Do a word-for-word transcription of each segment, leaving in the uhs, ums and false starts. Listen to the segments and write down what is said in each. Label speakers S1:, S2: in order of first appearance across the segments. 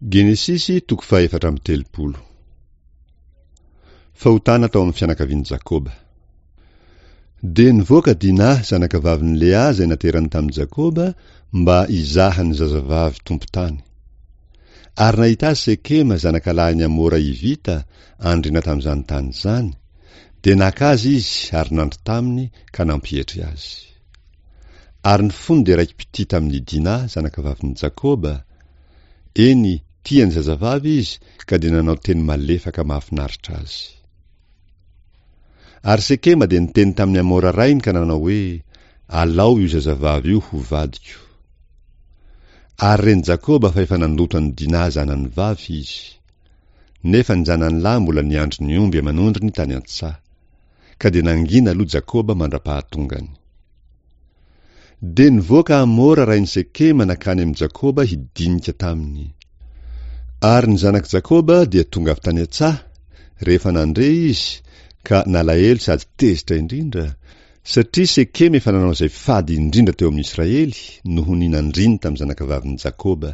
S1: Genesisy toko fahefatra amby telopolo. Fahotana tao amin'ny fianakavian'i Jakoba. Dia nivoaka Dina zanakavavin'i Lea izay naterany tamin'i Jakoba mba hizaha ny zazavavy tompon-tany. Ary nahita azy Sekema zanakalahin'i Hamora Hivita, andriana tamin'izany tany izany, dia naka azy izy ary nandry taminy ka nampietry azy. Ary ny fony dia raiki-pitia tamin'i Dina zanakavavin'i Jakoba, eny, tia ny zazavavy izy ka dia nanao teny malefaka mahafinaritra azy. Ary Sekema dia niteny tamin'i Hamora rainy ka nanao hoe, Alao io zazavavy io ho vadiko. Ary ren'i Jakoba fa efa nandoto an'i Dina zanany vavy izy. Nefa ny zanany lahy mbola niandry ny omby aman'ondriny tany an-tsaha. Ka dia nangina aloha Jakoba mandra-pahatongany. Dia nivoaka Hamora rain'i Sekema nankany amin'i Jakoba hidinika taminy. Ary ny zanak'i Jakoba dia tonga avy tany an-tsaha, rehefa nandre izy, ka nalahelo sady tezitra indrindra, satria Sekema efa nanao izay fady indrindra teo amin'ny Israely noho ny nandriny tamin'ny zanakavavin'i Jakoba.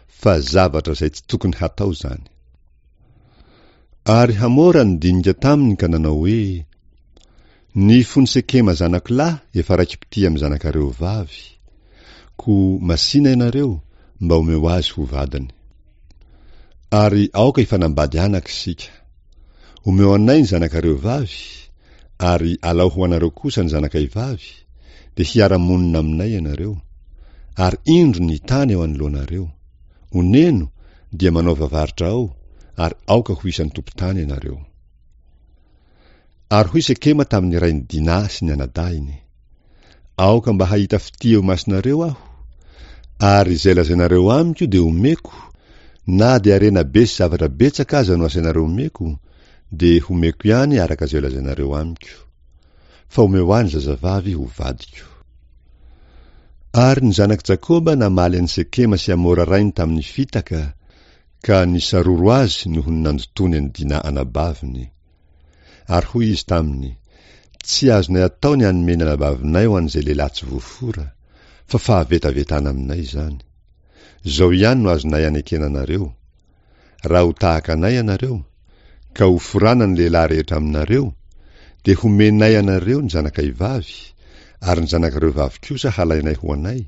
S1: Fa zavatra izay tsy tokony hatao izany. Ary Hamora nidinika taminy ka nanao hoe, Ny fon'i Sekema zanako lahy efa raiki-pitia amin'ny zanakareo vavy. Koa masìna ianareo, mba omeo azy ho vadiny. Ary aoka hifanambady anaka isika. Omeo anay ny zanakareo vavy, ary alao ho anareo kosa ny zanakay vavy, dia hiara-monina aminay ianareo. Ary indro ny tany eo anoloanareo. Oneno, dia manaova varotra ao, ary aoka ho isan'ny tompon-tany ianareo. Ary hoy Sekema tamin'ny rain'i Dina sy ny anadahiny, Aoka mba hahita fitia eo imasonareo aho, ary izay lazainareo amiko dia omeko, na dia harena be sy zavatra betsaka aza no asainareo omeko, dia homeko ihany araka izay lazainareo amiko. Fa omeo ahy ny zazavavy ho vadiko. Ary ny zanak'i Jakoba namaly an'i Sekema sy Hamora rainy tamin'ny fitaka, ka nisaroro azy noho ny nandotoany an'i Dina anabaviny. Ary hoy izy taminy, Tsy azonay atao ny hanome ny anabavinay ho an'izay lehilahy tsy voafora, fa fahavetavetana aminay izany. Izao ihany no azonay anekena anareo, Raha ho tahaka anay ianareo, ka ho forana ny lehilahy rehetra aminareo, dia homenay anareo ny zanakay vavy, ary ny zanakareo vavy kosa halainay ho anay,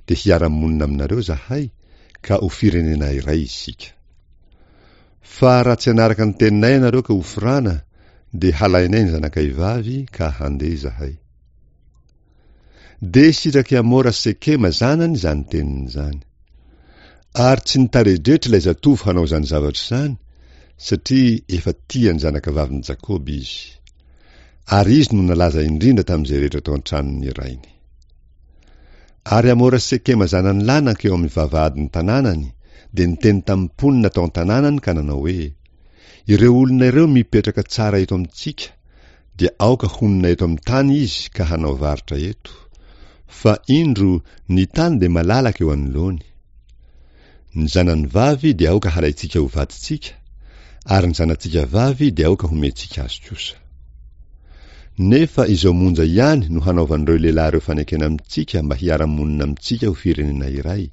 S1: dia hiara-monina aminareo izahay, ka ho firenena iray isika. Fa raha tsy hanaraka ny teninay ianareo ka ho forana, dia halainay ny zanakay vavy ka handeha izahay. Dia sitrak'i Hamora Sekema zanany izany teniny izany. Ary tsy nitaredretra ilay zatovo hanao izany zavatra izany, satria efa tia ny zanakavavin'i Jakoba izy. Ary izy no nalaza indrindra tamin'izay rehetra tao an-tranon'ny rainy. Ary Hamora Sekema zanany lahy nankeo amin'ny vavahadin'ny tanànany, dia niteny tamin'ny mponina tao an-tanànany ka nanao hoe, Ireo olona ireo mipetraka tsara eto amintsika, dia aoka honina eto amin'ny tany izy ka hanao varotra eto. Fa indro, ny tany dia malalaka eo anoloany. Ny zanany vavy dia aoka halaintsika ho vadintsika, ary ny zanatsika vavy dia aoka homentsika azy kosa. Nefa izao monja ihany no hanaovan'ireo lehilahy ireo fanekena amintsika mba hiara-monina amintsika ho firenena iray.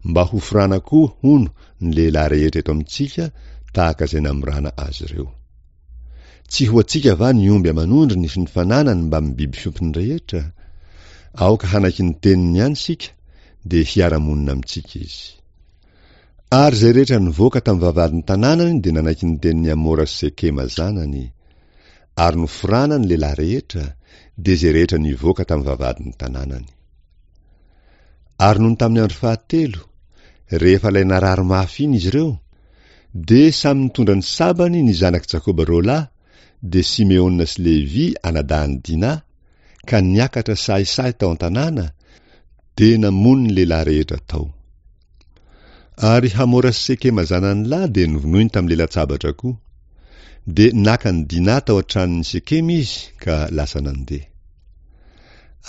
S1: Mba hoforana koa, hono, ny lehilahy rehetra eto amintsika tahaka izay namorana azy ireo. Tsy ho antsika va ny omby aman'ondriny sy ny fananany mbamin'ny biby fiompiny rehetra? Aoka hanaiky ny teniny ihany isika, dia hiara-monina amintsika izy. Ary izay rehetra nivoaka tamin'ny vavahadin'ny tanànany dia nanaiky ny tenin'i Hamora sy Sekema zanany. Ary noforana ny lehilahy rehetra, dia izay rehetra nivoaka tamin'ny vavahadin'ny tanànany. Ary nony tamin'ny andro fahatelo, rehefa ilay narary mafy iny izy ireo, dia samy nitondra ny sabany ny zanak'i Jakoba roa lahy, dia Simeona sy Levy anadahin'i Dina, ka niakatra sahisahy tao an-tanàna, dia namono ny lehilahy rehetra tao. Ary Hamora sy Sekema zanany lahy dia novonoiny tamin'ny lelan-tsabatra koa. Dia naka an'i Dina tao an-tranon'i Sekema izy ka lasa nandeha.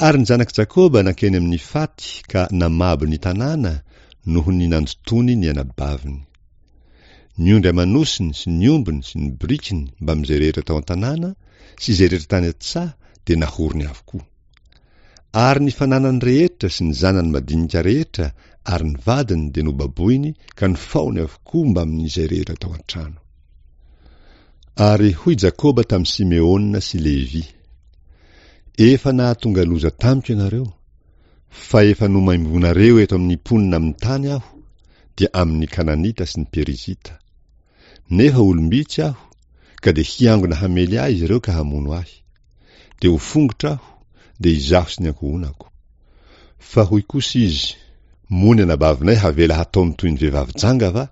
S1: Ary ny zanak'i Jakoba nankeny amin'ny faty ka namabo ny tanàna noho ny nandotoany ny anabaviny. Ny ondry aman'osiny sy ny ombiny sy ny borikiny mbamin'izay rehetra tao an-tanàna sy izay rehetra tany an-tsaha dia nahorony avokoa. Ary ny fananany rehetra sy ny zanany madinika rehetra ary ny vadiny dia nobaboiny ka nofaohiny avokoa mbamin'izay rehetra tao an-trano. Ary hoy Jakoba tamin'i Simeona sy Levy, Efa nahatonga loza tamiko ianareo, fa efa nomaimbonareo eto amin'ny mponina amin'ny tany aho, dia amin'ny Kananita sy ny Perizita. Nefa olom-bitsy aho, ka dia hiangona hamely ahy izy ireo ka hamono ahy. Dia ho fongotra aho, dia izaho sy ny ankohonako. Fa hoy kosa izy, Moa ny anabavinay havela hataony toy ny vehivavy janga va?